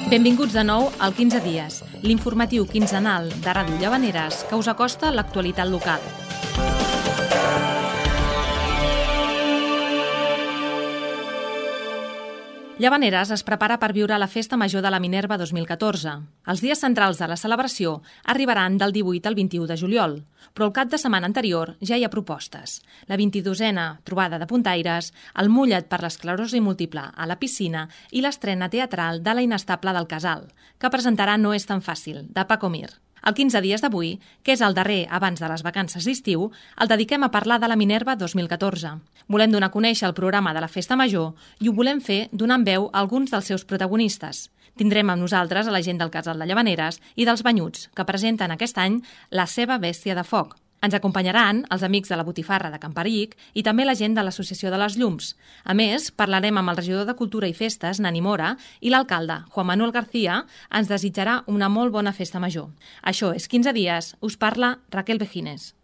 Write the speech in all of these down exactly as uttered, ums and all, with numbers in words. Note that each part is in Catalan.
Benvinguts de nou al quinze dies, l'informatiu quinzenal de Ràdio Llavaneres que us acosta l'actualitat local. Llavaneres es prepara per viure la Festa Major de la Minerva dos mil catorze. Els dies centrals de la celebració arribaran del divuit al vint-i-u de juliol, però el cap de setmana anterior ja hi ha propostes. La vint-i-dosena trobada de puntaires, el mullet per l'esclerosi múltiple a la piscina i l'estrena teatral de La inestable del Casal, que presentarà No és tan fàcil, de Paco Mir. El quinze dies d'avui, que és el darrer abans de les vacances d'estiu, el dediquem a parlar de la Minerva dos mil catorze. Volem donar a conèixer el programa de la Festa Major i ho volem fer donant veu a alguns dels seus protagonistes. Tindrem amb nosaltres a la gent del Casal de Llavaneres i dels Banyuts, que presenten aquest any la seva bèstia de foc. Ens acompanyaran els amics de la Botifarra de Camparic i també la gent de l'Associació de les Llums. A més, parlarem amb el regidor de Cultura i Festes, Nani Mora, i l'alcalde, Juan Manuel García, ens desitjarà una molt bona festa major. Això és quinze dies, us parla Raquel Vejines.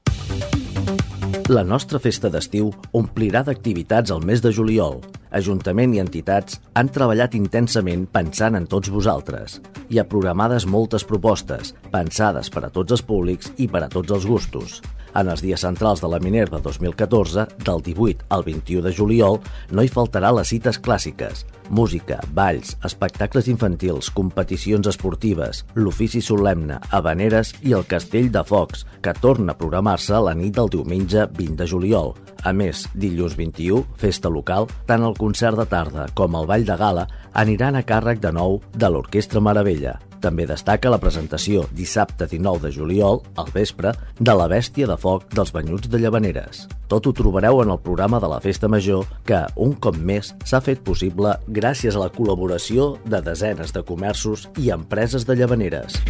La nostra festa d'estiu omplirà d'activitats al mes de juliol. Ajuntament i entitats han treballat intensament pensant en tots vosaltres. Hi ha programades moltes propostes, pensades per a tots els públics i per a tots els gustos. En els dies centrals de la Minerva dos mil catorze, del divuit al vint-i-u de juliol, no hi faltarà les cites clàssiques. Música, balls, espectacles infantils, competicions esportives, l'ofici solemne, habaneres i el Castell de Focs, que torna a programar-se la nit del diumenge vint de juliol. A més, dilluns vint-i-u, festa local, tant el concert de tarda com el ball de gala aniran a càrrec de nou de l'Orquestra Meravella. També destaca la presentació dissabte dinou de juliol, al vespre, de la bèstia de foc dels Banyuts de Llavaneres. Tot ho trobareu en el programa de la Festa Major, que, un cop més, s'ha fet possible gràcies a la col·laboració de desenes de comerços i empreses de Llavaneres.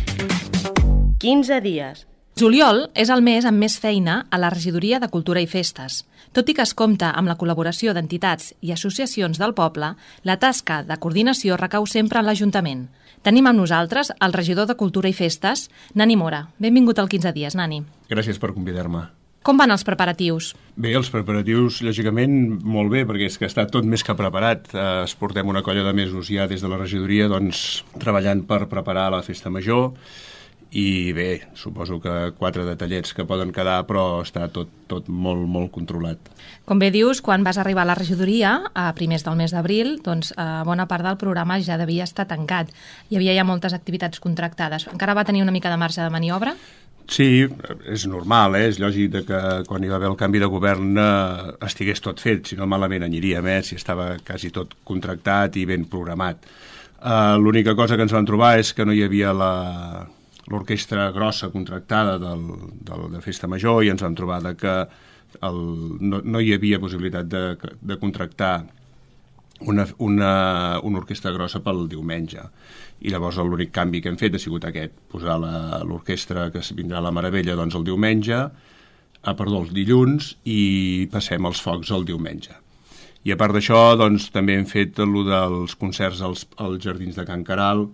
quinze dies. Juliol és el mes amb més feina a la Regidoria de Cultura i Festes. Tot i que es compta amb la col·laboració d'entitats i associacions del poble, la tasca de coordinació recau sempre en l'Ajuntament. Tenim amb nosaltres el regidor de Cultura i Festes, Nani Mora. Benvingut al quinze dies, Nani. Gràcies per convidar-me. Com van els preparatius? Bé, els preparatius, lògicament, molt bé, perquè és que està tot més que preparat. Eh, es portem una colla de mesos ja des de la regidoria doncs, treballant per preparar la Festa Major. I bé, suposo que quatre detallets que poden quedar, però està tot, tot molt, molt controlat. Com bé dius, quan vas arribar a la regidoria, a primers del mes d'abril, doncs eh, bona part del programa ja devia estar tancat. Hi havia ja moltes activitats contractades. Encara va tenir una mica de marge de maniobra? Sí, és normal, eh? És lògic que quan hi va haver el canvi de govern eh, estigués tot fet, si no malament aniríem, eh? Si estava quasi tot contractat i ben programat. Eh, l'única cosa que ens vam trobar és que no hi havia la... l'orquestra grossa contractada del, del, de Festa Major i ens vam trobar que el, no, no hi havia possibilitat de, de contractar una, una, una orquestra grossa pel diumenge. I llavors l'únic canvi que hem fet ha sigut aquest, posar l'orquestra que vindrà a la Meravella doncs, el diumenge, ah, perdó, els dilluns, i passem els focs el diumenge. I a part d'això, doncs, també hem fet el dels concerts als, als Jardins de Can Caral,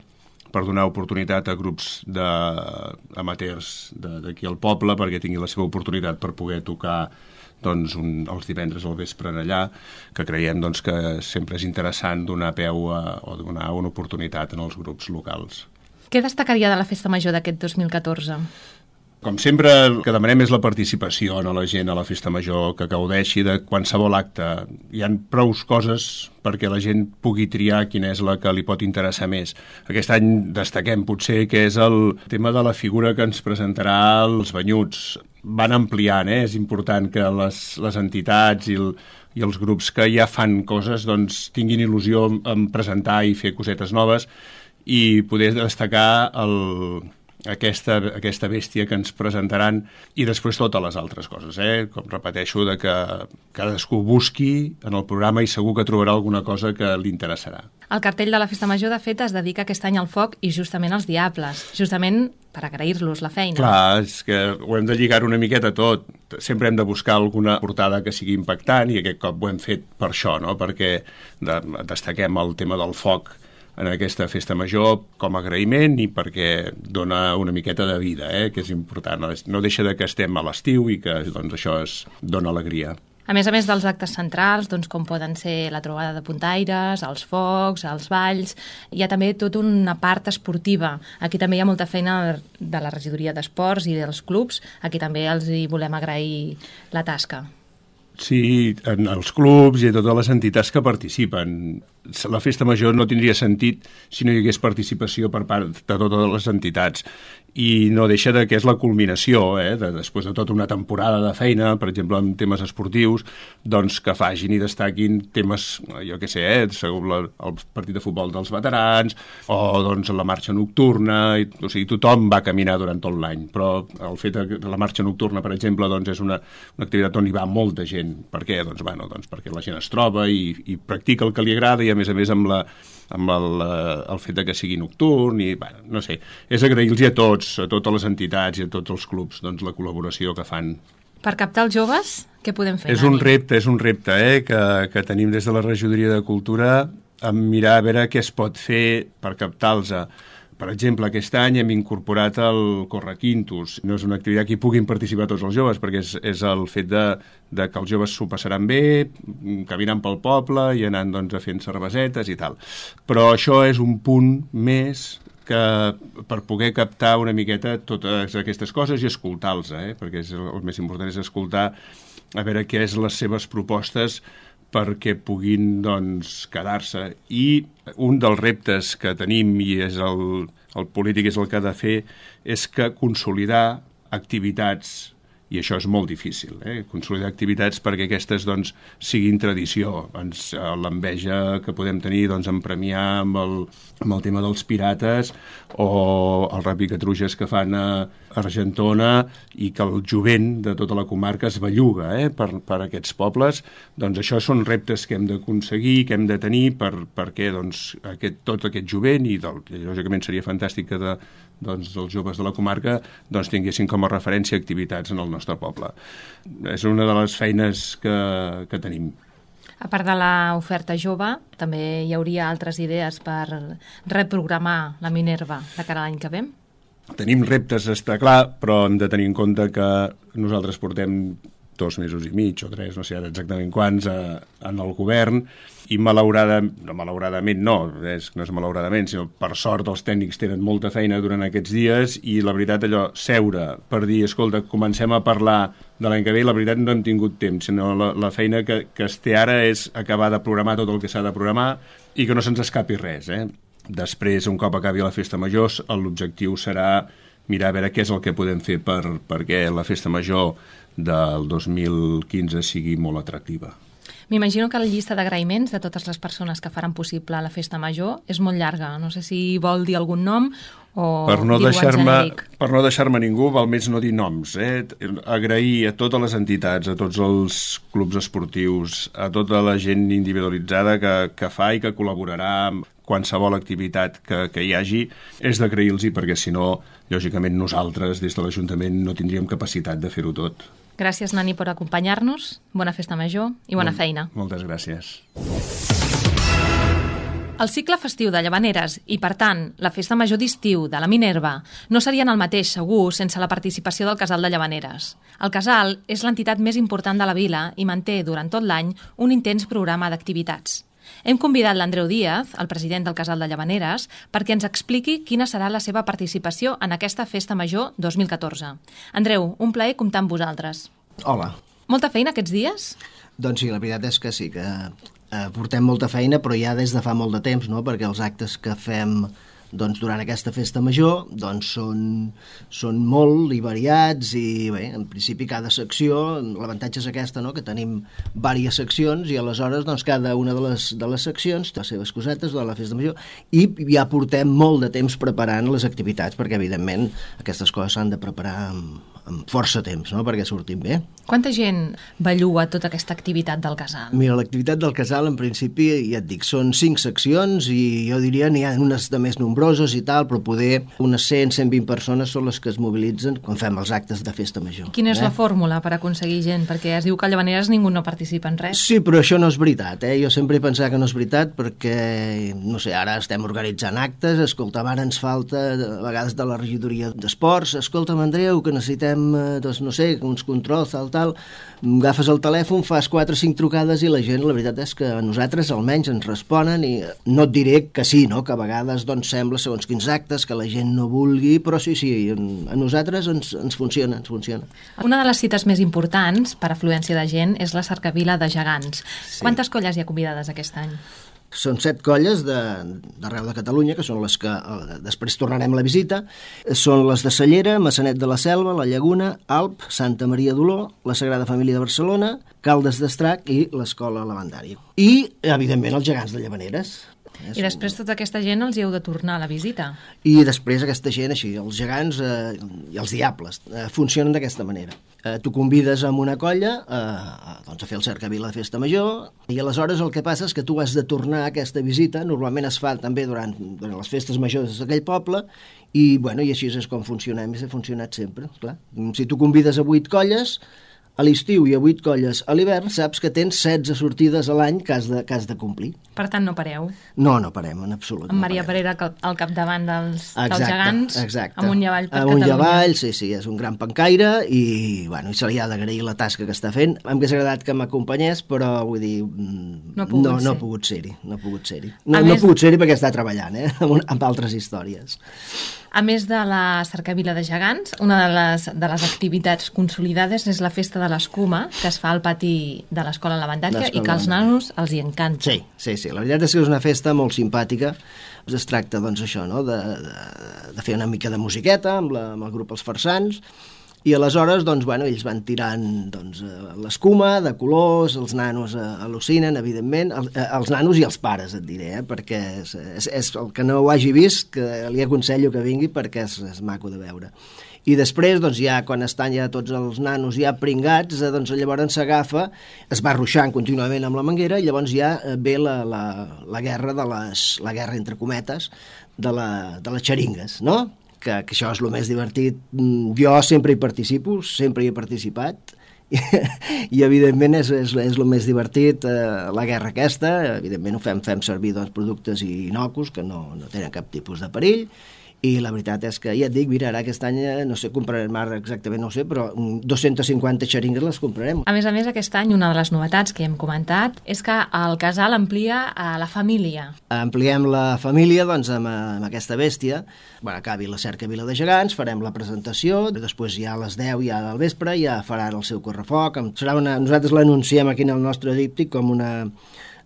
per donar oportunitat a grups d'amateurs d'aquí al poble perquè tingui la seva oportunitat per poder tocar doncs, un, els divendres al vespre allà, que creiem doncs, que sempre és interessant donar peu a, o donar una oportunitat en els grups locals. Què destacaria de la Festa Major d'aquest dos mil catorze? Com sempre, el que demanem és la participació a la gent a la Festa Major, que gaudeixi de qualsevol acte. Hi ha prou coses perquè la gent pugui triar quina és la que li pot interessar més. Aquest any destaquem potser que és el tema de la figura que ens presentarà els Banyuts. Van ampliant, eh? És important que les, les entitats i, el, i els grups que ja fan coses doncs, tinguin il·lusió en presentar i fer cosetes noves i poder destacar el... Aquesta, aquesta bèstia que ens presentaran i després totes les altres coses, eh? Com repeteixo, de que cadascú busqui en el programa i segur que trobarà alguna cosa que li interessarà. El cartell de la Festa Major, de fet, es dedica aquest any al foc i justament als diables, justament per agrair-los la feina. Clar, és que ho hem de lligar una miqueta tot. Sempre hem de buscar alguna portada que sigui impactant i aquest cop ho hem fet per això, no? Perquè de, destaquem el tema del foc en aquesta Festa Major com a agraïment i perquè dona una miqueta de vida, eh, que és important. No deixa de que estem a l'estiu i que doncs, això es dona alegria. A més a més dels actes centrals, doncs, com poden ser la trobada de puntaires, els focs, els balls, hi ha també tota una part esportiva. Aquí també hi ha molta feina de la regidoria d'esports i dels clubs. Aquí també els hi volem agrair la tasca. Sí, en els clubs i a totes les entitats que participen. La festa major no tindria sentit si no hi hagués participació per part de totes les entitats. I no deixa de que és la culminació, eh, de, després de tota una temporada de feina, per exemple, en temes esportius, doncs que facin i destaquin temes, jo què sé, eh, segons la, el partit de futbol dels veterans, o doncs la marxa nocturna, i, o sigui, tothom va caminar durant tot l'any, però el fet de la marxa nocturna, per exemple, doncs és una, una activitat on hi va molta gent. Per què? Doncs, bueno, doncs perquè la gent es troba i, i practica el que li agrada, i a més a més amb la amb el, el fet de que sigui nocturn i, bueno, no sé, és agrair-los a tots, a totes les entitats i a tots els clubs, doncs, la col·laboració que fan. Per captar els joves, què podem fer? És un repte, és un repte, eh, que, que tenim des de la Regidoria de Cultura, a mirar a veure què es pot fer per captar-los. Per exemple, aquest any hem incorporat el Correquintos. No és una activitat que hi puguin participar tots els joves, perquè és, és el fet de, de que els joves s'ho passaran bé, caminant pel poble i anant, doncs, a fent cervesetes i tal. Però això és un punt més que per poder captar una miqueta totes aquestes coses i escoltar-los, eh? Perquè és el, el més important és escoltar a veure què és les seves propostes perquè puguin, doncs, quedar-se. I un dels reptes que tenim, i és el, el polític és el que ha de fer, és que consolidar activitats, i això és molt difícil, eh? Consolidar activitats perquè aquestes, doncs, siguin tradició. Ens, l'enveja que podem tenir, doncs, en premiar amb el, amb el tema dels pirates o el rapicatruges que fan a Argentona i que el jovent de tota la comarca es belluga, eh? per, per aquests pobles. Doncs això són reptes que hem d'aconseguir, que hem de tenir per, perquè, doncs, aquest, tot aquest jovent, i, del, i lògicament seria fantàstic que de, doncs, els joves de la comarca, doncs, tinguessin com a referència activitats en el nostre poble. És una de les feines que, que tenim. A part de l'oferta jove, també hi hauria altres idees per reprogramar la Minerva de cara a l'any que ve? Tenim reptes, està clar, però hem de tenir en compte que nosaltres portem dos mesos i mig o tres, no sé ara exactament quants, a, en el govern, i malauradament, no, malauradament no, és, no és malauradament, sinó per sort els tècnics tenen molta feina durant aquests dies, i la veritat allò, seure per dir, escolta, comencem a parlar de l'any que ve, la veritat no hem tingut temps, sinó la, la feina que, que es té ara és acabar de programar tot el que s'ha de programar i que no se'ns escapi res, eh? Després, un cop acabi la festa major, l'objectiu serà mirar a veure què és el que podem fer per, perquè la festa major del dos mil quinze sigui molt atractiva. M'imagino que la llista d'agraïments de totes les persones que faran possible la festa major és molt llarga. No sé si vol dir algun nom o per no dir-ho en deixar-me genèric. Per no deixar-me ningú, val més no dir noms. Eh? Agrair a totes les entitats, a tots els clubs esportius, a tota la gent individualitzada que, que fa i que col·laborarà amb qualsevol activitat que, que hi hagi, és d'agrair-los, perquè si no, lògicament nosaltres des de l'Ajuntament no tindríem capacitat de fer-ho tot. Gràcies, Nani, per acompanyar-nos. Bona festa major i bona Molt, feina. Moltes gràcies. El cicle festiu de Llavaneres i, per tant, la festa major d'estiu de la Minerva no serien el mateix, segur, sense la participació del Casal de Llavaneres. El Casal és l'entitat més important de la vila i manté durant tot l'any un intens programa d'activitats. Hem convidat l'Andreu Díaz, el president del Casal de Llavaneres, perquè ens expliqui quina serà la seva participació en aquesta festa major dos mil catorze. Andreu, un plaer comptar amb vosaltres. Hola. Molta feina aquests dies? Doncs sí, la veritat és que sí, que eh, portem molta feina, però ja des de fa molt de temps, no? Perquè els actes que fem doncs, durant aquesta festa major doncs, són, són molt i variats i bé, en principi cada secció, l'avantatge és aquesta, no? Que tenim diverses seccions i aleshores doncs, cada una de les, de les seccions té les seves cosetes de la festa major i ja portem molt de temps preparant les activitats perquè evidentment aquestes coses s'han de preparar amb, amb força temps, no? Perquè surtin bé. Quanta gent belluga tota aquesta activitat del Casal? Mira, l'activitat del Casal en principi, ja et dic, són cinc seccions i jo diria n'hi ha unes de més nombroses i tal, però poder unes cent a cent vint persones són les que es mobilitzen quan fem els actes de festa major. I quina és eh? la fórmula per aconseguir gent? Perquè es diu que a Llavaneres ningú no participa en res. Sí, però això no és veritat, eh? Jo sempre he pensat que no és veritat perquè, no sé, ara estem organitzant actes, escolta, ara ens falta a vegades de la regidoria d'esports, escolta'm, Andreu, que necessitem fem, doncs no sé, uns controls, tal, tal, agafes el telèfon, fas quatre o cinc trucades i la gent, la veritat és que a nosaltres almenys ens responen i no et diré que sí, no? Que a vegades doncs, sembla, segons quins actes, que la gent no vulgui, però sí, sí, a nosaltres ens, ens funciona, ens funciona. Una de les cites més importants per afluència de gent és la cercavila de gegants. Sí. Quantes colles hi ha convidades aquest any? Són set colles d'arreu de, de Catalunya, que són les que eh, després tornarem la visita. Són les de Cellera, Massanet de la Selva, La Llaguna, Alp, Santa Maria d'Oló, la Sagrada Família de Barcelona, Caldes d'Estrac i l'Escola Lavandària. I, evidentment, els gegants de Llavaneres. I després tota aquesta gent els hi heu de tornar a la visita. I després aquesta gent, així, els gegants eh, i els diables, eh, funcionen d'aquesta manera. Eh, tu convides amb una colla eh, doncs a fer el cercavila de festa major i aleshores el que passa és que tu has de tornar a aquesta visita, normalment es fa també durant, durant les festes majors d'aquell poble i, bueno, i així és com funcionem i s'ha funcionat sempre, clar. Si tu convides a vuit colles a l'estiu i a vuit colles a l'hivern, saps que tens setze sortides a l'any que has de, que has de complir. Per tant, no pareu. No, no parem, en absolut. Amb Maria no Parera al capdavant dels, exacte, dels gegants, exacte. amunt i avall per amunt Catalunya. Amunt i avall, sí, sí, és un gran pencaire i, bueno, i se li ha d'agrair la tasca que està fent. M'hauria agradat que m'acompanyés, però vull dir, no ha pogut, no, ser. no ha pogut ser-hi. No ha pogut ser-hi no, més... no ha pogut ser-hi perquè està treballant, eh? amb, amb altres històries. A més de la cercavila de gegants, una de les, de les activitats consolidades és la festa de l'escuma, que es fa al pati de l'Escola Lavandària i que als nanos els hi encanta. Sí, sí, sí, la veritat és que és una festa molt simpàtica. Es tracta, doncs, això, no?, de, de, de fer una mica de musiqueta amb, la, amb el grup Els Farsans, i aleshores, doncs, bueno, ells van tirant doncs, l'escuma de colors, els nanos al·lucinen, evidentment, els, els nanos i els pares, et diré, eh? Perquè és, és, és el que no ho hagi vist, que li aconsello que vingui perquè és, és maco de veure. I després, doncs, ja quan estan ja tots els nanos ja pringats, doncs llavors s'agafa, es va ruixant contínuament amb la manguera i llavors ja ve la, la, la guerra de les, la guerra entre cometes de, la, de les xeringues, no?, Que, que això és el més divertit. Jo sempre hi participo, sempre hi he participat, i, i evidentment és, és, és el més divertit, eh, la guerra aquesta. Evidentment ho fem, fem servir doncs, productes innocus que no, no tenen cap tipus de perill, i la veritat és que, ja et dic, mira, ara aquest any, no sé, comprarem ara exactament, no sé, però dues-centes cinquanta xeringues les comprarem. A més a més, aquest any, una de les novetats que hem comentat és que el casal amplia a la família. Ampliem la família, doncs, amb, amb aquesta bèstia. Bueno, acabi la cercavila de gegants, farem la presentació, després ja a les deu ja del vespre ja faran el seu correfoc. Serà una, nosaltres l'anunciem aquí en el nostre díptic com una...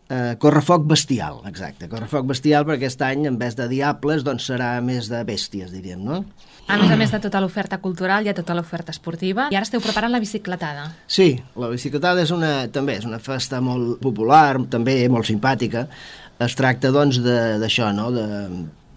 Uh, correfoc bestial, exacte, correfoc bestial, perquè aquest any, en vez de diables, doncs serà més de bèsties, diríem, no? A més a més de tota l'oferta cultural, hi ha tota l'oferta esportiva, i ara esteu preparant la bicicletada. Sí, la bicicletada és una, també és una festa molt popular, també molt simpàtica. Es tracta, doncs, d'això, no?, de...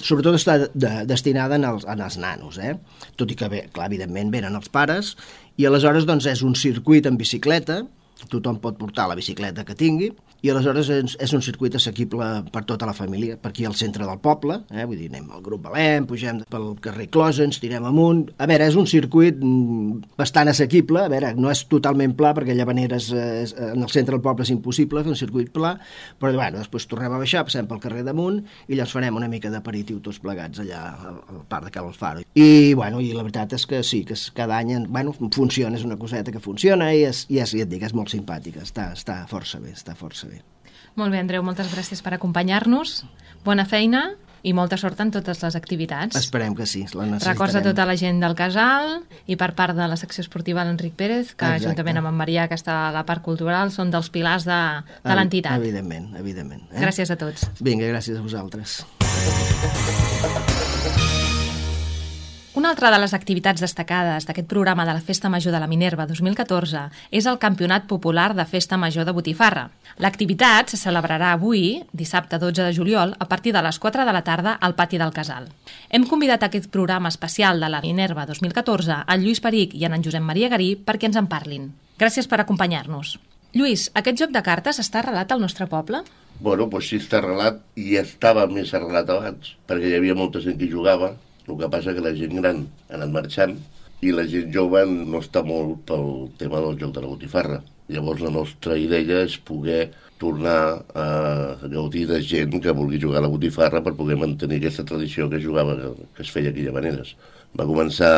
sobretot està de, destinada en els, en els nanos, eh? Tot i que, bé, clar, evidentment, venen els pares, i aleshores, doncs, és un circuit en bicicleta, tothom pot portar la bicicleta que tingui, i aleshores és, és un circuit assequible per tota la família, per aquí al centre del poble, eh? Vull dir, anem al grup Valem, pugem pel carrer Closa, ens tirem amunt. A veure, és un circuit bastant assequible, a veure, no és totalment pla, perquè Llavaneres és, en el centre del poble és impossible fer un circuit pla, però bueno, després tornem a baixar, passem pel carrer damunt i llavors farem una mica d'aperitiu tots plegats allà al, al parc de Cal Alfaro. I, bueno, i la veritat és que sí, que és, cada any, bueno, funciona, és una coseta que funciona i, és, i és, ja et dic, és molt simpàtica, està, està força bé, està força bé. Molt bé, Andreu, moltes gràcies per acompanyar-nos. Bona feina i molta sort en totes les activitats. Esperem que sí, la necessitarem. Records a tota la gent del casal i per part de la secció esportiva l'Enric Pérez, que Exacte. Juntament amb en Marià, que està a la part cultural, són dels pilars de, de l'entitat. Evidentment, evidentment. Eh? Gràcies a tots. Vinga, gràcies a vosaltres. Una altra de les activitats destacades d'aquest programa de la Festa Major de la Minerva dos mil catorze és el Campionat Popular de Festa Major de Botifarra. L'activitat se celebrarà avui, dissabte dotze de juliol, a partir de les quatre de la tarda al pati del casal. Hem convidat a aquest programa especial de la Minerva dos mil catorze a Lluís Perich i a en Josep Maria Garí perquè ens en parlin. Gràcies per acompanyar-nos. Lluís, aquest joc de cartes està arrelat al nostre poble? Bueno, doncs sí, està arrelat i estava més arrelat abans, perquè hi havia molta gent que jugava. El que passa que la gent gran ha anat marxant i la gent jove no està molt pel tema del joc de la botifarra. Llavors la nostra idea és poder tornar a gaudir de gent que vulgui jugar a la botifarra per poder mantenir aquesta tradició que jugava, que es feia aquí a Llavaneres. Va començar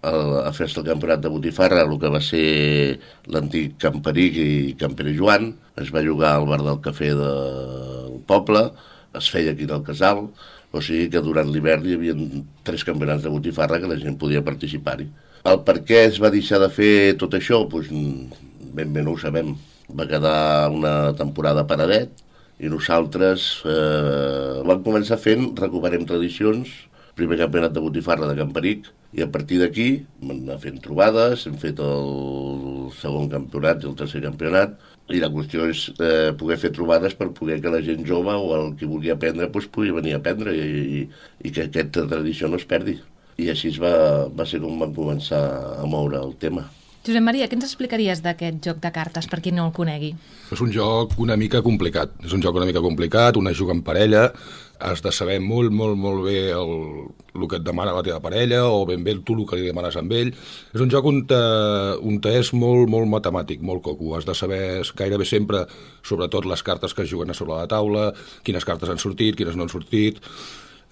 a fer-se el campionat de Botifarra, el que va ser l'antic Camperic i Campere Joan, es va jugar al bar del cafè del poble, es feia aquí al Casal, o sigui que durant l'hivern hi havia tres campionats de Botifarra que la gent podia participar-hi. El per què es va deixar de fer tot això? Doncs ben bé no ho sabem. Va quedar una temporada paradet i nosaltres eh, vam començar fent Recuperem Tradicions, primer campionat de Botifarra de Camperic, i a partir d'aquí hem anat fent trobades, hem fet el segon campionat i el tercer campionat, i la qüestió és eh, poder fer trobades per poder que la gent jove o el que vulgui aprendre doncs, pugui venir a aprendre i, i, i que aquesta tradició no es perdi. I així va, va ser com vam començar a moure el tema. Josep Maria, què ens explicaries d'aquest joc de cartes, per qui no el conegui? És un joc una mica complicat. És un joc una mica complicat, una juga en parella, has de saber molt, molt, molt bé el, el que et demana la teva parella, o ben bé tu el que li demanes amb ell. És un joc on, te, on te és molt, molt matemàtic, molt coco. Has de saber gairebé sempre, sobretot les cartes que es juguen a sobre la taula, quines cartes han sortit, quines no han sortit.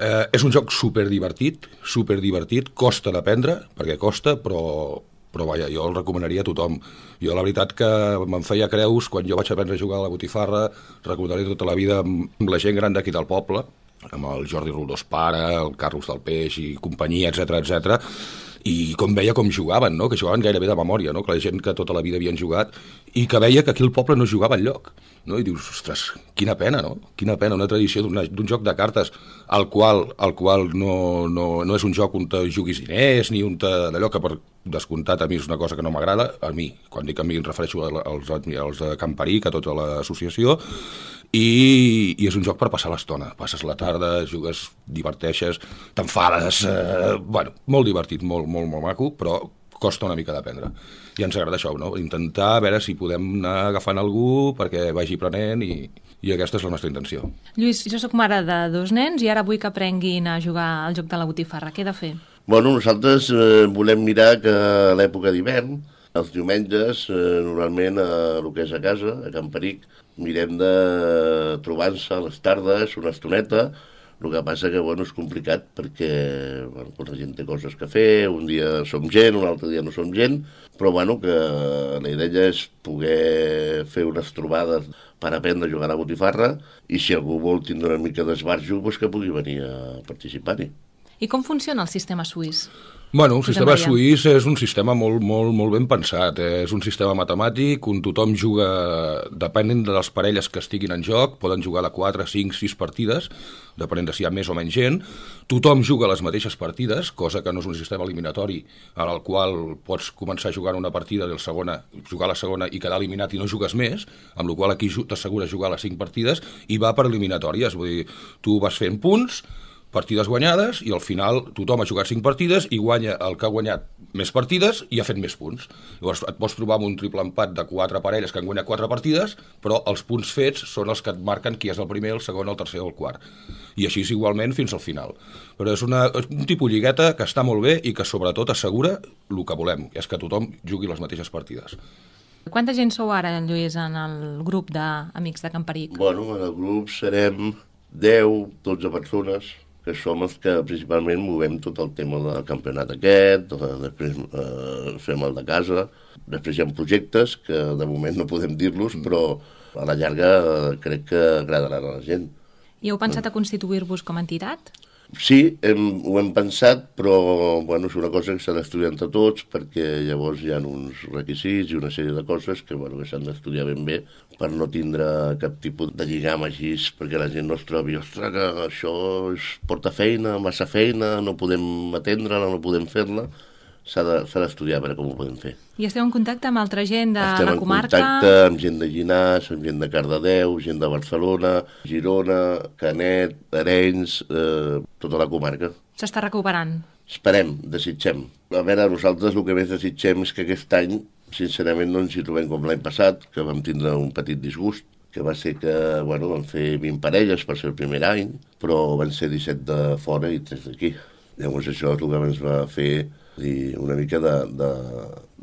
Eh, és un joc superdivertit, superdivertit, costa d'aprendre, perquè costa, però... però vaja, jo el recomanaria a tothom. Jo la veritat que me'n feia creus quan jo vaig aprendre a jugar a la Botifarra, recomanaria tota la vida amb la gent gran d'aquí del poble, amb el Jordi Roldós pare, el Carlos del Peix i companyia, etcètera, etcètera, i com veia com jugaven, no? Que jugaven gairebé de memòria, no? Que la gent que tota la vida havien jugat, i que veia que aquí al poble no jugava enlloc, no? I dius, ostres, quina pena, no? Quina pena, una tradició d'un joc de cartes al qual, al qual no, no, no és un joc on te juguis diners, ni on te... d'allò que per descomptat a mi és una cosa que no m'agrada, a mi, quan dic a mi em refereixo als, als de Camperic, a tota l'associació, i, i és un joc per passar l'estona. Passes la tarda, jugues, diverteixes, t'enfades, eh, bueno, molt divertit, molt, molt, molt maco, però costa una mica d'aprendre. I ens agrada això, no? Intentar a veure si podem anar agafant algú perquè vagi aprenent i, i aquesta és la nostra intenció. Lluís, jo sóc mare de dos nens i ara vull que aprenguin a jugar al joc de la Botifarra. Què he de fer? Bueno, nosaltres eh, volem mirar que a l'època d'hivern, els diumenges, eh, normalment a el que és a casa, a Camperic, mirem de trobar-se a les tardes, una estoneta. El que passa que bueno, és complicat perquè bueno, la gent té coses que fer, un dia som gent, un altre dia no som gent, però bueno, que la idea és poder fer unes trobades per aprendre a jugar a la Botifarra i si algú vol tindre una mica d'esbarjo, doncs que pugui venir a participar-hi. I com funciona el sistema suís? Bueno, el sistema suís és un sistema molt, molt, molt ben pensat. Eh? És un sistema matemàtic on tothom juga, depenent de les parelles que estiguin en joc, poden jugar de quatre, cinc, sis partides, depenent de si hi ha més o menys gent. Tothom juga les mateixes partides, cosa que no és un sistema eliminatori en el qual pots començar jugant una partida i la segona, jugar la segona i quedar eliminat i no jugues més, amb la qual aquí t'assegures jugar les cinc partides i va per eliminatòries. Vull dir, tu vas fent punts, partides guanyades, i al final tothom ha jugat cinc partides i guanya el que ha guanyat més partides i ha fet més punts. Llavors et pots trobar amb un triple empat de quatre parelles que han guanyat quatre partides, però els punts fets són els que et marquen qui és el primer, el segon, el tercer o el quart. I així és igualment fins al final. Però és, una, és un tipus lligueta que està molt bé i que sobretot assegura el que volem, és que tothom jugui les mateixes partides. Quanta gent sou ara, Lluís, en el grup d'Amics de Camperic? Bueno, en el grup serem deu, dotze persones, que som els que principalment movem tot el tema del campionat aquest, després eh, fem el de casa, després hi ha projectes que de moment no podem dir-los, però a la llarga eh, crec que agradaran a la gent. I heu pensat a constituir-vos com a entitat? Sí, hem, ho hem pensat, però bueno, és una cosa que s'ha d'estudiar entre tots perquè llavors hi ha uns requisits i una sèrie de coses que, bueno, que s'han d'estudiar ben bé per no tindre cap tipus de lligam així, perquè la gent no es trobi, ostres, que això és porta feina, massa feina, no podem atendre-la, no podem fer-la. S'ha d'estudiar de, per com ho podem fer. I esteu en contacte amb altra gent de Estem la comarca? Estem en contacte amb gent de Llinars, amb gent de Cardedeu, gent de Barcelona, Girona, Canet, Arenys, eh, tota la comarca. S'està recuperant? Esperem, desitgem. A veure, nosaltres el que més desitgem és que aquest any, sincerament, no ens hi trobem com l'any passat, que vam tindre un petit disgust, que va ser que, bueno, vam fer vint parelles per ser el primer any, però van ser disset de fora i tres d'aquí. Llavors això és el que ens va fer dir, una mica de, de,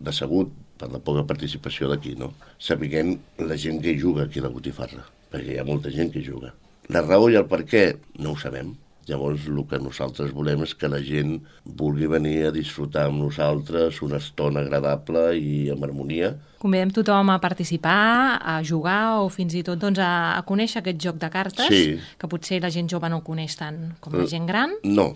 de segut per la poca participació d'aquí, no? Sapiguem la gent que hi juga aquí a la Botifarra, perquè hi ha molta gent que hi juga. La raó i el per què no ho sabem. Llavors, el que nosaltres volem és que la gent vulgui venir a disfrutar amb nosaltres una estona agradable i amb harmonia. Convidem tothom a participar, a jugar o fins i tot doncs, a, a conèixer aquest joc de cartes, Sí. que potser la gent jove no el coneix tant com la gent gran. No,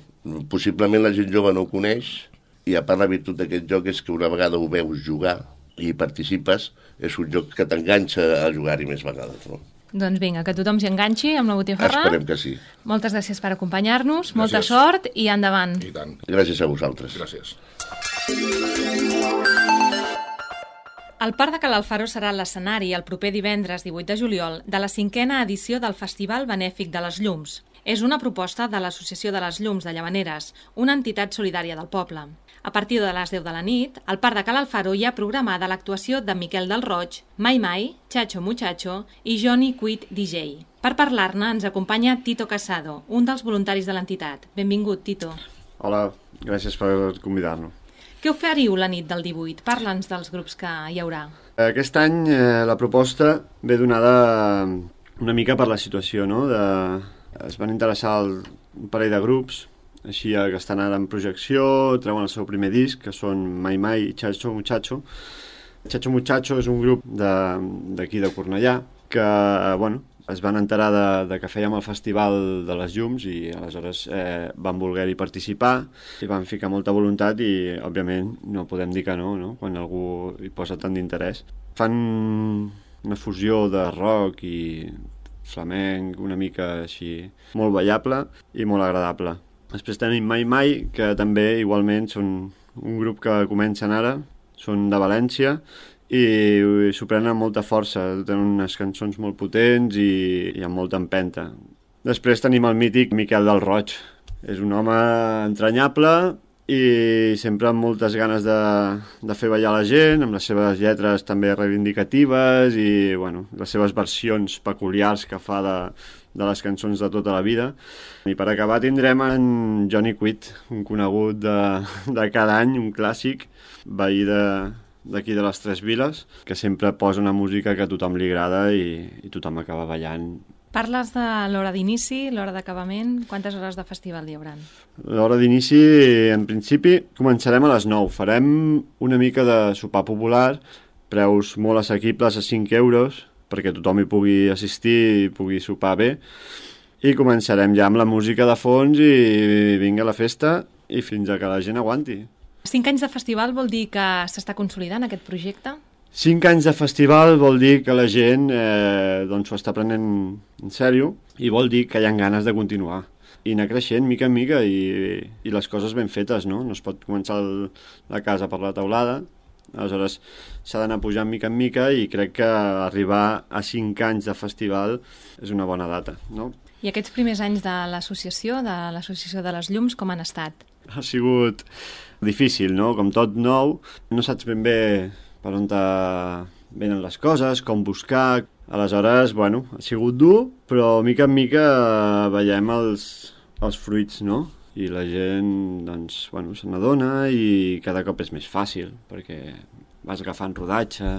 possiblement la gent jove no ho coneix, i a part la virtut d'aquest joc és que una vegada ho veus jugar i participes, és un joc que t'enganxa a jugar-hi més vegades, no? Doncs vinga, que tothom s'hi enganxi amb la botifarra. Esperem que sí. Moltes gràcies per acompanyar-nos, molta Gràcies. sort i endavant. I tant. Gràcies a vosaltres. Gràcies. El Parc de Cal Alfaro serà l'escenari el proper divendres divuit de juliol de la cinquena edició del Festival Benèfic de les Llums. És una proposta de l'Associació de les Llums de Llavaneres, una entitat solidària del poble. A partir de les deu de la nit, al Parc de Cal Alfaro hi ha programada l'actuació de Miquel del Roig, Mai Mai, Chacho Muchacho i Johnny Quid D J. Per parlar-ne ens acompanya Tito Casado, un dels voluntaris de l'entitat. Benvingut, Tito. Hola, gràcies per convidar-nos. Què oferiu la nit del divuit? Parla'ns dels grups que hi haurà. Aquest any eh, la proposta ve donada una mica per la situació, no? De... Es van interessar el... un parell de grups, així que estan ara en projecció, treuen el seu primer disc, que són Mai Mai i Chacho Muchacho. Chacho Muchacho és un grup d'aquí de, de Cornellà, que, bueno, es van enterar de, de que fèiem el Festival de les Llums i aleshores eh, van voler-hi participar i van ficar molta voluntat i, òbviament, no podem dir que no, no? Quan algú hi posa tant d'interès. Fan una fusió de rock i flamenc, una mica així, molt ballable i molt agradable. Després tenim Mai Mai, que també igualment són un grup que comencen ara, són de València i s'ho prenen amb molta força, tenen unes cançons molt potents i, i amb molta empenta. Després tenim el mític Miquel del Roig. És un home entranyable i sempre amb moltes ganes de, de fer ballar la gent, amb les seves lletres també reivindicatives i bueno, les seves versions peculiars que fa de, de les cançons de tota la vida. I per acabar tindrem en Johnny Quid, un conegut de, de cada any, un clàssic, veí de, d'aquí de les Tres Viles, que sempre posa una música que a tothom li agrada i, i tothom acaba ballant. Parles de l'hora d'inici, l'hora d'acabament. Quantes hores de festival hi haurà? L'hora d'inici, en principi, començarem a les nou. Farem una mica de sopar popular, preus molt assequibles a cinc euros, perquè tothom hi pugui assistir i pugui sopar bé. I començarem ja amb la música de fons i vinga la festa i fins a que la gent aguanti. Cinc anys de festival vol dir que s'està consolidant aquest projecte? Cinc anys de festival vol dir que la gent eh, doncs ho està prenent en sèrio i vol dir que hi ha ganes de continuar i anar creixent mica en mica i, i les coses ben fetes, no? No es pot començar el, la casa per la teulada, aleshores s'ha d'anar pujant mica en mica i crec que arribar a cinc anys de festival és una bona data, no? I aquests primers anys de l'associació, de l'Associació de les Llums, com han estat? Ha sigut difícil, no? Com tot nou, no saps ben bé per on venen les coses, com buscar. Aleshores, bueno, ha sigut dur, però mica en mica veiem els, els fruits, no? I la gent, doncs, bueno, se n'adona i cada cop és més fàcil, perquè vas agafant rodatge.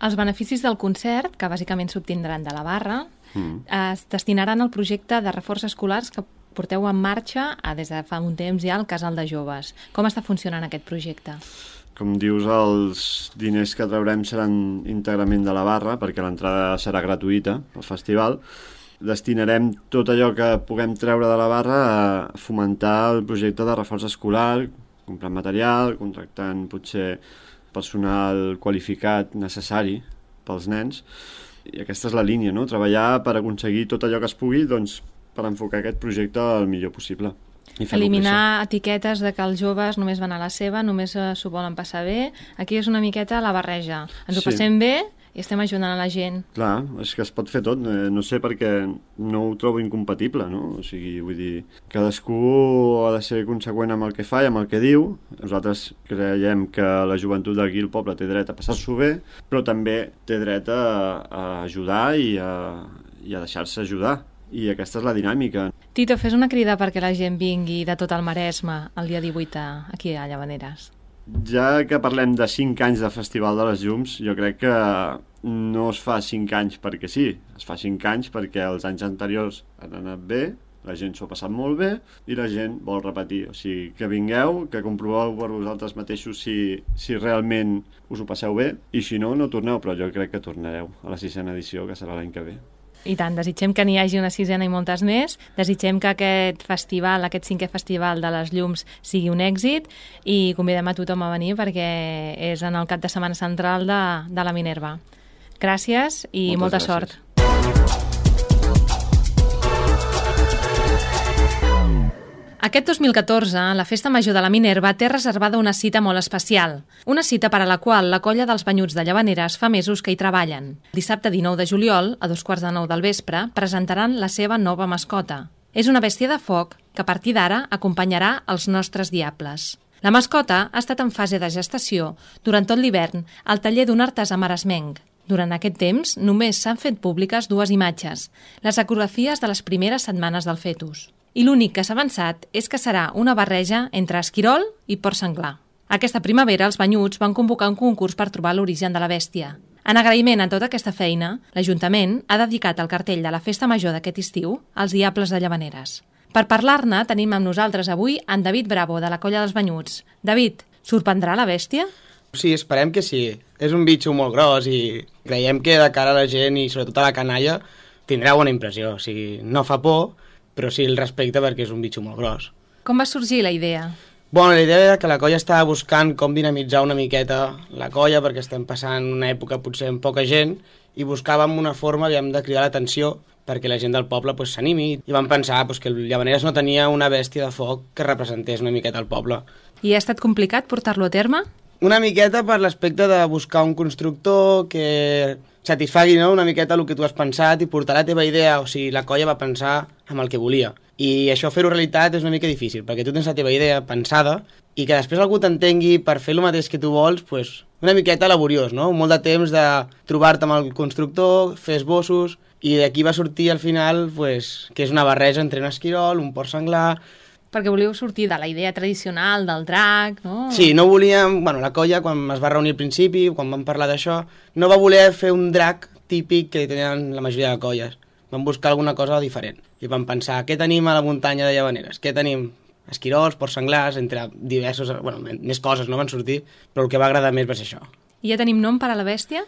Els beneficis del concert, que bàsicament s'obtindran de la barra, Mm. es destinaran al projecte de reforç escolars que porteu en marxa a, des de fa un temps ja al Casal de Joves. Com està funcionant aquest projecte? Com dius, els diners que traurem seran íntegrament de la barra, perquè l'entrada serà gratuïta al festival. Destinarem tot allò que puguem treure de la barra a fomentar el projecte de reforç escolar, comprant material, contractant potser personal qualificat necessari pels nens. I aquesta és la línia, no? Treballar per aconseguir tot allò que es pugui, doncs, per enfocar aquest projecte el millor possible. Eliminar etiquetes de que els joves només van a la seva, només s'ho volen passar bé. Aquí és una miqueta la barreja. Ens ho Sí. passem bé i estem ajudant a la gent. Clar, és que es pot fer tot. No sé per què no ho trobo incompatible, no? O sigui, vull dir, cadascú ha de ser conseqüent amb el que fa i amb el que diu. Nosaltres creiem que la joventut d'aquí al poble té dret a passar-s'ho bé, però també té dret a, a ajudar i a, i a deixar-se ajudar. I aquesta és la dinàmica. Tito, fes una crida perquè la gent vingui de tot el Maresme el dia divuit aquí a Llavaneres. Ja que parlem de cinc anys de Festival de les Llums, jo crec que no es fa cinc anys perquè sí, es fa cinc anys perquè els anys anteriors han anat bé la gent s'ho ha passat molt bé i la gent vol repetir. O sigui, que vingueu, que comproveu per vosaltres mateixos si, si realment us ho passeu bé, i si no, no torneu, però jo crec que tornareu a la sisena edició, que serà l'any que ve. I tant, desitgem que n'hi hagi una sisena i moltes més, desitgem que aquest festival, aquest cinquè festival de les llums sigui un èxit i convidem a tothom a venir perquè és en el cap de setmana central de, de la Minerva. Gràcies i Moltes molta gràcies. sort. Aquest dos mil catorze, la Festa Major de la Minerva té reservada una cita molt especial. Una cita per a la qual la colla dels Banyuts de Llavaneres fa mesos que hi treballen. Dissabte dinou de juliol, a dos quarts de nou del vespre, presentaran la seva nova mascota. És una bèstia de foc que a partir d'ara acompanyarà els nostres diables. La mascota ha estat en fase de gestació durant tot l'hivern al taller d'un artesà maresmenc. Durant aquest temps, només s'han fet públiques dues imatges, les ecografies de les primeres setmanes del fetus. I l'únic que s'ha avançat és que serà una barreja entre esquirol i porc senglar. Aquesta primavera, els Banyuts van convocar un concurs per trobar l'origen de la bèstia. En agraïment a tota aquesta feina, l'Ajuntament ha dedicat el cartell de la Festa Major d'aquest estiu als Diables de Llavaneres. Per parlar-ne, tenim amb nosaltres avui en David Bravo, de la colla dels Banyuts. David, sorprendrà la bèstia? Sí, esperem que sí. És un bitxo molt gros i creiem que de cara a la gent i sobretot a la canalla tindrà bona impressió. O sigui, no fa por, però sí el respecte perquè és un bitxo molt gros. Com va sorgir la idea? Bueno, la idea era que la colla estava buscant com dinamitzar una miqueta la colla perquè estem passant una època potser amb poca gent i buscàvem una forma aviam, de cridar l'atenció perquè la gent del poble pues, s'animi i vam pensar pues, que el Llavaneres no tenia una bèstia de foc que representés una miqueta el poble. I ha estat complicat portar-lo a terme? Una miqueta per l'aspecte de buscar un constructor que satisfagui no? una miqueta el que tu has pensat i portar la teva idea, o sigui, la colla va pensar amb el que volia. I això fer-ho realitat és una mica difícil, perquè tu tens la teva idea pensada i que després algú t'entengui per fer el mateix que tu vols, pues, una miqueta laboriós, no? Molt de temps de trobar-te amb el constructor, fer esbossos, i d'aquí va sortir al final pues, que és una barreja entre un esquirol, un porc senglar. Perquè volíeu sortir de la idea tradicional del drac, no? Sí, no volíem... Bueno, la colla, quan es va reunir al principi, quan vam parlar d'això, no va voler fer un drac típic que tenen la majoria de colles. Vam buscar alguna cosa diferent. I vam pensar, què tenim a la muntanya de Llavaneres? Què tenim? Esquirols, porcs senglars, entre diversos... Bueno, més coses no van sortir, però el que va agradar més va ser això. I ja tenim nom per a la bèstia?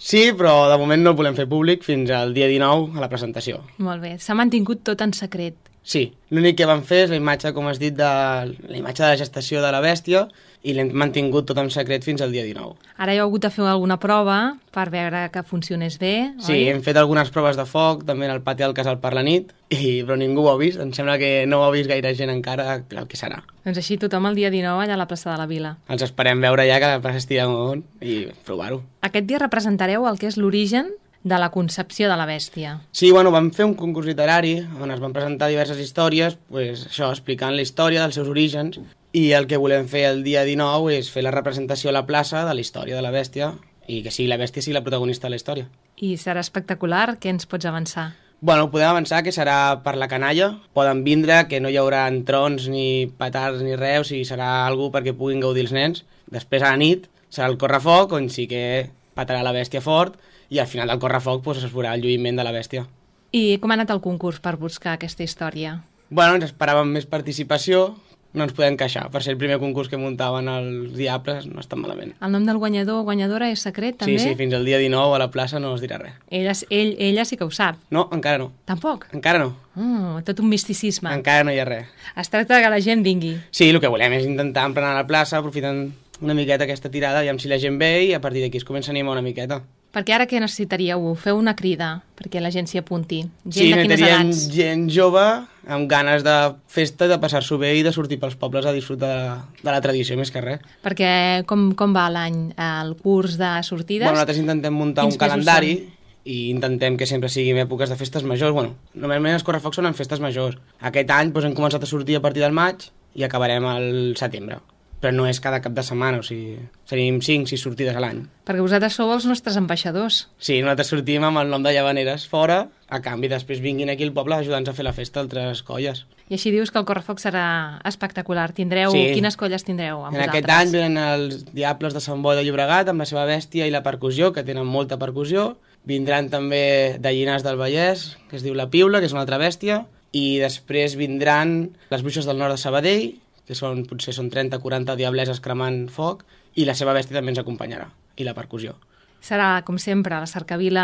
Sí, però de moment no el volem fer públic fins al dia dinou a la presentació. Molt bé, s'ha mantingut tot en secret. Sí, l'únic que vam fer és la imatge, com has dit, de la imatge de la gestació de la bèstia i l'hem mantingut tot en secret fins al dia dinou. Ara heu hagut de fer alguna prova per veure que funcionés bé, Sí, oi? hem fet algunes proves de foc, també en el pati del casal per la nit, i, però ningú ho ha vist. Em sembla que no ho ha vist gaire gent encara el que serà. Doncs així tothom el dia dinou allà a la plaça de la Vila. Els esperem veure ja que la plaça estigui amunt i provar-ho. Aquest dia representareu el que és l'origen de la concepció de la bèstia. Sí, bueno, vam fer un concurs literari on es van presentar diverses històries, pues, això, explicant la història dels seus orígens, i el que volem fer el dia dinou és fer la representació a la plaça de la història de la bèstia i que sigui la bèstia sigui la protagonista de la història. I serà espectacular, què ens pots avançar? Bueno, podem avançar que serà per la canalla, poden vindre, que no hi haurà trons ni petards ni res, o sigui, serà algú perquè puguin gaudir els nens. Després a la nit serà el correfoc, on sí que petarà la bèstia fort, i al final del correfoc pues, es veurà el lluïment de la bèstia. I com ha anat el concurs per buscar aquesta història? Bueno, ens esperàvem més participació, no ens podem queixar. Per ser el primer concurs que muntaven els Diables no està malament. El nom del guanyador o guanyadora és secret, també? Sí, sí, fins al dia dinou a la plaça no es dirà res. Ella, ell, ella sí que ho sap. No, encara no. Tampoc? Encara no. Mm, tot un misticisme. Encara no hi ha res. Es tracta que la gent vingui. Sí, el que volem és intentar emplenar la plaça, aprofitant una miqueta aquesta tirada, aviam si la gent ve i a partir d'aquí es comença a animar una miqueta. Perquè ara què necessitaríeu? Feu una crida perquè la gent s'hi apunti. Gent sí, de quines necessitaríem edats? gent jove amb ganes de festa, de passar-s'ho bé i de sortir pels pobles a disfrutar de la, de la tradició més que res. Perquè com, com va l'any, el curs de sortides? Bueno, nosaltres intentem muntar Quins un calendari i intentem que sempre siguin èpoques de festes majors. Bueno, normalment els correfocs són en festes majors. Aquest any doncs, hem començat a sortir a partir del maig i acabarem al setembre. Però no és cada cap de setmana, o sigui, tenim cinc sis sortides a l'any. Perquè vosaltres sou els nostres ambaixadors. Sí, nosaltres sortim amb el nom de Llavaneres fora, a canvi després vinguin aquí al poble ajudant-nos a fer la festa altres colles. I així dius que el correfoc serà espectacular. Tindreu... Sí. Quines colles tindreu amb en vosaltres? aquest any venen els Diables de Sant Boi de Llobregat amb la seva bèstia i la percussió, que tenen molta percussió. Vindran també de Llinars del Vallès, que es diu la Piula, que és una altra bèstia, i després vindran les bruixes del nord de Sabadell, que són, potser són trenta o quaranta diableses cremant foc, i la seva bèstia també ens acompanyarà, i la percussió. Serà, com sempre, la cercavila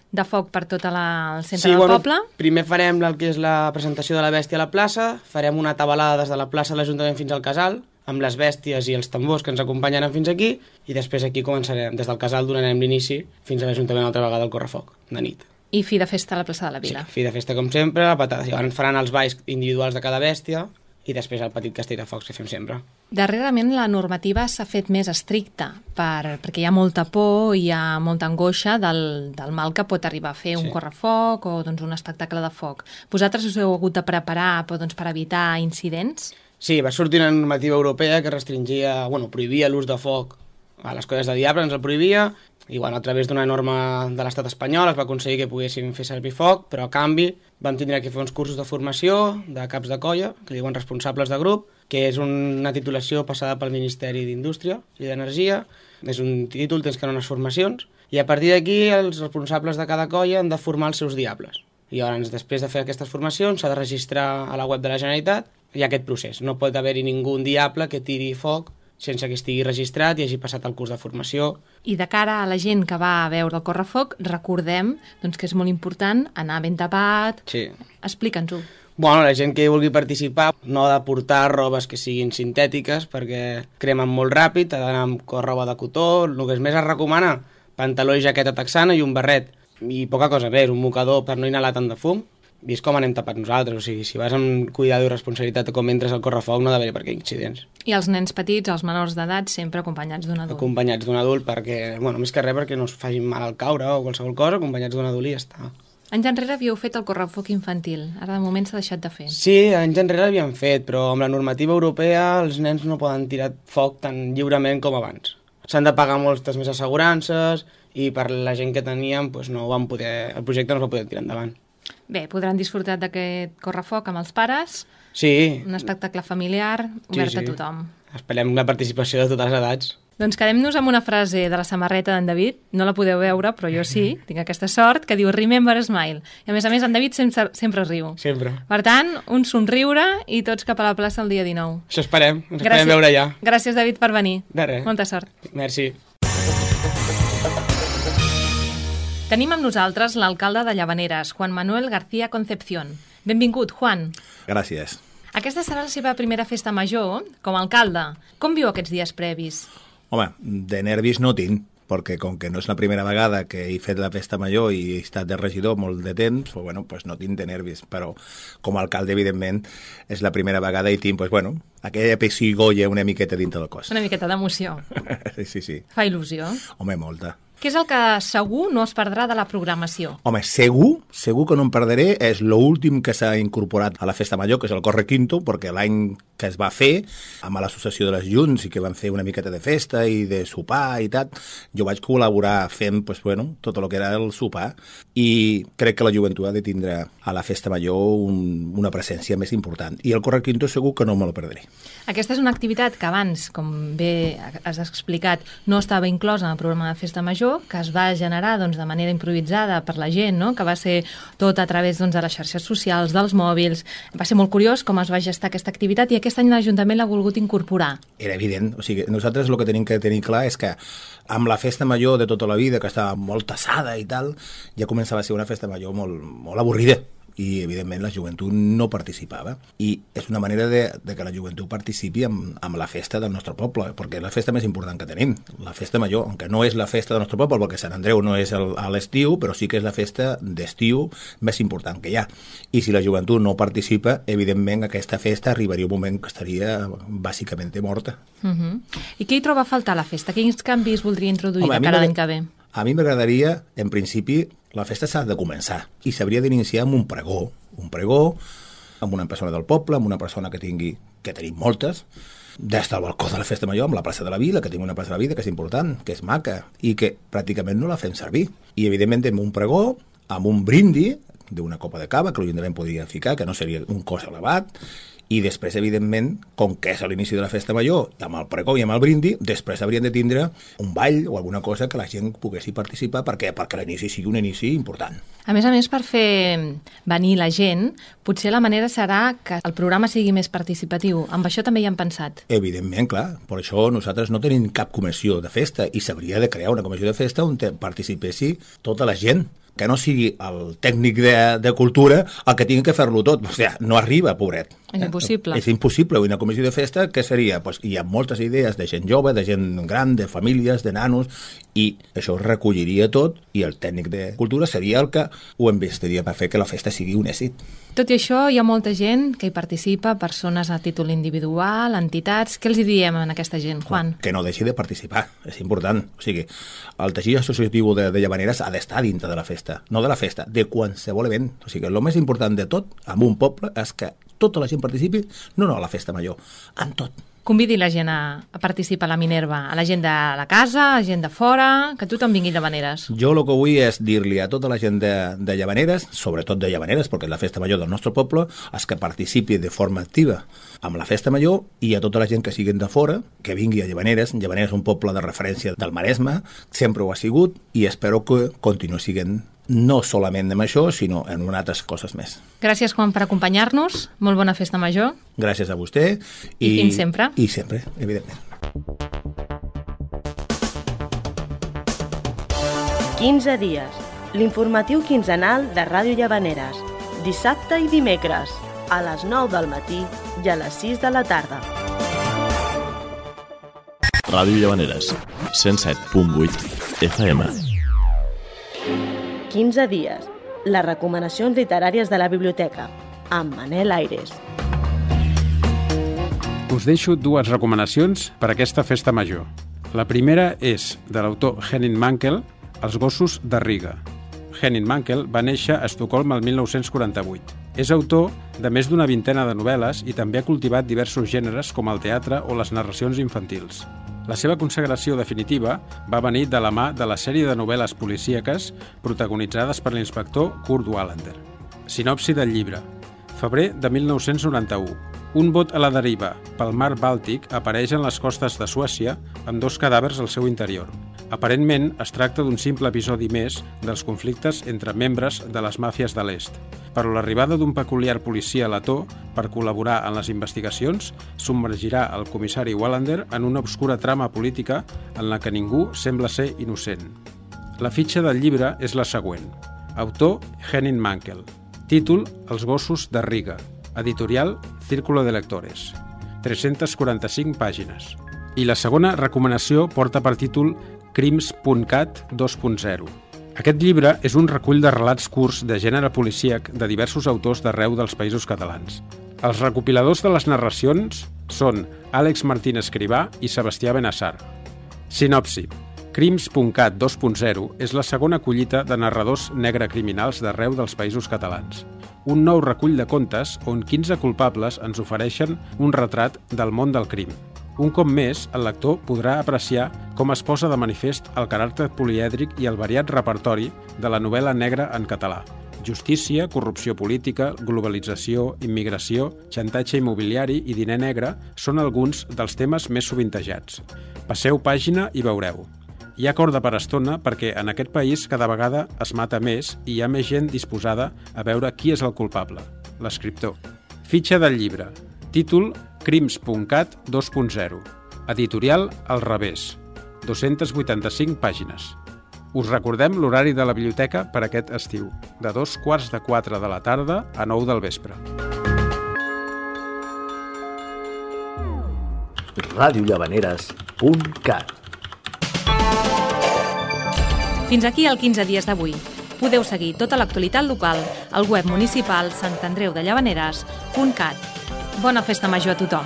de foc per tot la, el centre sí, del bueno, poble. Primer farem el que és la presentació de la bèstia a la plaça, farem una tabalada des de la plaça de l'Ajuntament fins al casal, amb les bèsties i els tambors que ens acompanyaran fins aquí, i després aquí començarem, des del casal donarem l'inici fins a l'Ajuntament altra vegada al correfoc, de nit. I fi de festa a la plaça de la Vila. Sí, fi de festa com sempre, la patada. Llavors faran els balls individuals de cada bèstia, i després el petit castell de focs que fem sempre. Darrerament la normativa s'ha fet més estricta per, perquè hi ha molta por, hi ha molta angoixa del, del mal que pot arribar a fer un Sí. correfoc o doncs, un espectacle de foc. Vosaltres us heu hagut de preparar però, doncs, per evitar incidents? Sí, va sortir una normativa europea que restringia, bueno, prohibia l'ús de foc a les colles de diable, ens el prohibia, i bueno, a través d'una norma de l'estat espanyol es va aconseguir que poguéssim fer servir foc, però a canvi vam tindre que fer uns cursos de formació de caps de colla, que li diuen responsables de grup, que és una titulació passada pel Ministeri d'Indústria i d'Energia, és un títol, tens que anar a unes formacions, i a partir d'aquí els responsables de cada colla han de formar els seus diables. I llavors, després de fer aquestes formacions, s'ha de registrar a la web de la Generalitat i aquest procés. No pot haver-hi ningú diable que tiri foc sense que estigui registrat i hagi passat el curs de formació. I de cara a la gent que va a veure el correfoc, recordem doncs, que és molt important anar ben tapat. Sí. Explica'ns-ho. Bueno, la gent que vulgui participar no ha de portar robes que siguin sintètiques perquè cremen molt ràpid, ha d'anar amb roba de cotó, el que més es recomana, pantaló i jaqueta texana i un barret. I poca cosa més, un mocador per no inhalar tant de fum. I és com anem tapat nosaltres, o sigui, si vas amb cuidado i responsabilitat com entres al correfoc no ha d'haver per què incidents. I els nens petits, els menors d'edat, sempre acompanyats d'un adult. Acompanyats d'un adult perquè, bueno, més que res perquè no es facin mal al caure o qualsevol cosa, acompanyats d'un adult i ja està. Anys enrere havíeu fet el correfoc infantil, ara de moment s'ha deixat de fer. Sí, anys enrere l'havíem fet, però amb la normativa europea els nens no poden tirar foc tan lliurement com abans. S'han de pagar moltes més assegurances i per la gent que teníem doncs no van poder, el projecte no es va poder tirar endavant. Bé, podran disfrutar d'aquest correfoc amb els pares, Sí. un espectacle familiar obert sí, sí. a tothom. Esperem la participació de totes les edats. Doncs quedem-nos amb una frase de la samarreta d'en David, no la podeu veure, però jo sí, tinc aquesta sort, que diu Remember Smile. I a més a més en David sempre, sempre riu. Sempre. Per tant, un somriure i tots cap a la plaça el dia dinou. Això esperem, ens esperem veure ja. Gràcies, David, per venir. De res. Molta sort. Merci. Tenim amb nosaltres l'alcalde de Llavaneres, Juan Manuel García Concepción. Benvingut, Juan. Gràcies. Aquesta serà la seva primera festa major com a alcalde. Com viu aquests dies previs? Home, de nervis no tinc, perquè com que no és la primera vegada que he fet la festa major i he estat de regidor molt de temps, pues, bueno, pues no tinc de nervis, però com a alcalde, evidentment, és la primera vegada i tinc, pues, bueno, aquella pessigolles una miqueta dintre del cos. Una miqueta d'emoció. Sí, sí, sí. Fa il·lusió. Home, molta. Què és el que segur no es perdrà de la programació? Home, segur, segur que no em perdré, és l'últim que s'ha incorporat a la Festa Major, que és el Corre Quinto, perquè l'any que es va fer, amb l'Associació de les Junts, i que van fer una miqueta de festa i de sopar i tal, jo vaig col·laborar fent, pues, bueno, tot el que era el sopar, i crec que la joventut ha de tindre a la Festa Major un, una presència més important. I el Corre Quinto segur que no me la perdré. Aquesta és una activitat que abans, com bé has explicat, no estava inclosa en el programa de Festa Major, que es va generar doncs, de manera improvisada per la gent, no? Que va ser tot a través doncs, de les xarxes socials, dels mòbils. Va ser molt curiós com es va gestar aquesta activitat i aquest any l'Ajuntament l'ha volgut incorporar. Era evident, o sigui, nosaltres el que tenim que tenir clar és que amb la festa major de tota la vida, que estava molt tassada i tal, ja començava a ser una festa major molt, molt avorrida. I, evidentment, la joventut no participava. I és una manera de, de que la joventut participi amb, amb la festa del nostre poble, perquè és la festa més important que tenim. La festa major, aunque no és la festa del nostre poble, perquè Sant Andreu no és el, a l'estiu, però sí que és la festa d'estiu més important que hi ha. I si la joventut no participa, evidentment, aquesta festa arribaria un moment que estaria bàsicament morta. Uh-huh. I què hi troba a faltar la festa? Quins canvis voldria introduir Home, de cara a l'any que ve? A mi m'agradaria, en principi, la festa s'ha de començar i s'hauria d'iniciar amb un pregó, un pregó amb una persona del poble, amb una persona que tingui, que tenim moltes, des del balcó de la festa major, amb la plaça de la Vila, que tinc una plaça de la Vila que és important, que és maca, i que pràcticament no la fem servir. I, evidentment, amb un pregó, amb un brindi d'una copa de cava, que l'Ajuntament podria ficar, que no seria un cost elevat, I després, evidentment, com que és a l'inici de la festa major, amb el pregó i amb el brindi, després haurien de tindre un ball o alguna cosa que la gent poguessi participar perquè perquè l'inici sigui un inici important. A més a més, per fer venir la gent, potser la manera serà que el programa sigui més participatiu. Amb això també hi hem pensat. Evidentment, clar. Per això nosaltres no tenim cap comissió de festa i s'hauria de crear una comissió de festa on participessi tota la gent, que no sigui el tècnic de, de cultura el que tingui que fer-lo tot. O sigui, no arriba, pobret. És impossible. És impossible. Una comissió de festa, què seria? Pues hi ha moltes idees de gent jove, de gent gran, de famílies, de nanos, i això es recolliria tot i el tècnic de cultura seria el que ho investiria per fer que la festa sigui un èxit. Tot i això, hi ha molta gent que hi participa, persones a títol individual, entitats. Què els hi diem a aquesta gent, Juan? Que no deixi de participar, és important. O sigui, el teixit associatiu de, de Llavaneres ha d'estar dintre de la festa, no de la festa, de qualsevol event. O sigui, el més important de tot, en un poble, és que tota la gent participi, no, no a la festa major, en tot. Convidi la gent a, a participar a la Minerva, a la gent de la casa, a la gent de fora, que tothom vingui a Llavaneres. Jo el que vull és dir-li a tota la gent de, de Llavaneres, sobretot de Llavaneres, perquè és la festa major del nostre poble, és que participi de forma activa amb la festa major i a tota la gent que siguin de fora, que vingui a Llavaneres. Llavaneres és un poble de referència del Maresme, sempre ho ha sigut i espero que continuï sent no solament amb això, sinó en unes altres coses més. Gràcies, Juan, per acompanyar-nos. Molt bona festa major. Gràcies a vostè. I, I fins sempre. I sempre, evidentment. quinze dies. L'informatiu quinzenal de Ràdio Llavaneres. Dissabte i dimecres, a les nou del matí i a les sis de la tarda. Ràdio Llavaneres, cent set punt vuit F M. quinze dies. Les recomanacions literàries de la biblioteca, amb Manel Aires. Us deixo dues recomanacions per a aquesta festa major. La primera és de l'autor Henning Mankell, Els gossos de Riga. Henning Mankell va néixer a Estocolm el mil nou-cents quaranta-vuit. És autor de més d'una vintena de novel·les i també ha cultivat diversos gèneres com el teatre o les narracions infantils. La seva consagració definitiva va venir de la mà de la sèrie de novel·les policíaques protagonitzades per l'inspector Kurt Wallander. Sinopsi del llibre. Febrer de mil nou-cents noranta-u. Un bot a la deriva pel mar Bàltic apareix en les costes de Suècia amb dos cadàvers al seu interior. Aparentment, es tracta d'un simple episodi més dels conflictes entre membres de les màfies de l'est. Però l'arribada d'un peculiar policia letó per col·laborar en les investigacions submergirà el comissari Wallander en una obscura trama política en la que ningú sembla ser innocent. La fitxa del llibre és la següent. Autor Henning Mankell. Títol Els gossos de Riga. Editorial Círculo de Lectores. tres-centes quaranta-cinc pàgines. I la segona recomanació porta per títol Crims punt cat dos punt zero. Aquest llibre és un recull de relats curts de gènere policíac de diversos autors d'arreu dels països catalans. Els recopiladors de les narracions són Àlex Martín Escrivà i Sebastià Benassar. Sinopsi. Crims punt cat dos punt zero és la segona collita de narradors negre criminals d'arreu dels països catalans. Un nou recull de contes on quinze culpables ens ofereixen un retrat del món del crim. Un cop més, el lector podrà apreciar com es posa de manifest el caràcter polièdric i el variat repertori de la novel·la negra en català. Justícia, corrupció política, globalització, immigració, xantatge immobiliari i diner negre són alguns dels temes més sovintejats. Passeu pàgina i veureu. Hi ha corda per estona perquè en aquest país cada vegada es mata més i hi ha més gent disposada a veure qui és el culpable, l'escriptor. Fitxa del llibre. Títol Crims punt cat dos punt zero. Editorial Al revés. dos-centes vuitanta-cinc pàgines. Us recordem l'horari de la biblioteca per aquest estiu, de dos quarts de quatre de la tarda a nou del vespre. ràdio llavaneres punt cat. Fins aquí el quinze dies d'avui. Podeu seguir tota l'actualitat local al web municipal sant andreu de llavaneres punt cat. Bona festa major a tothom!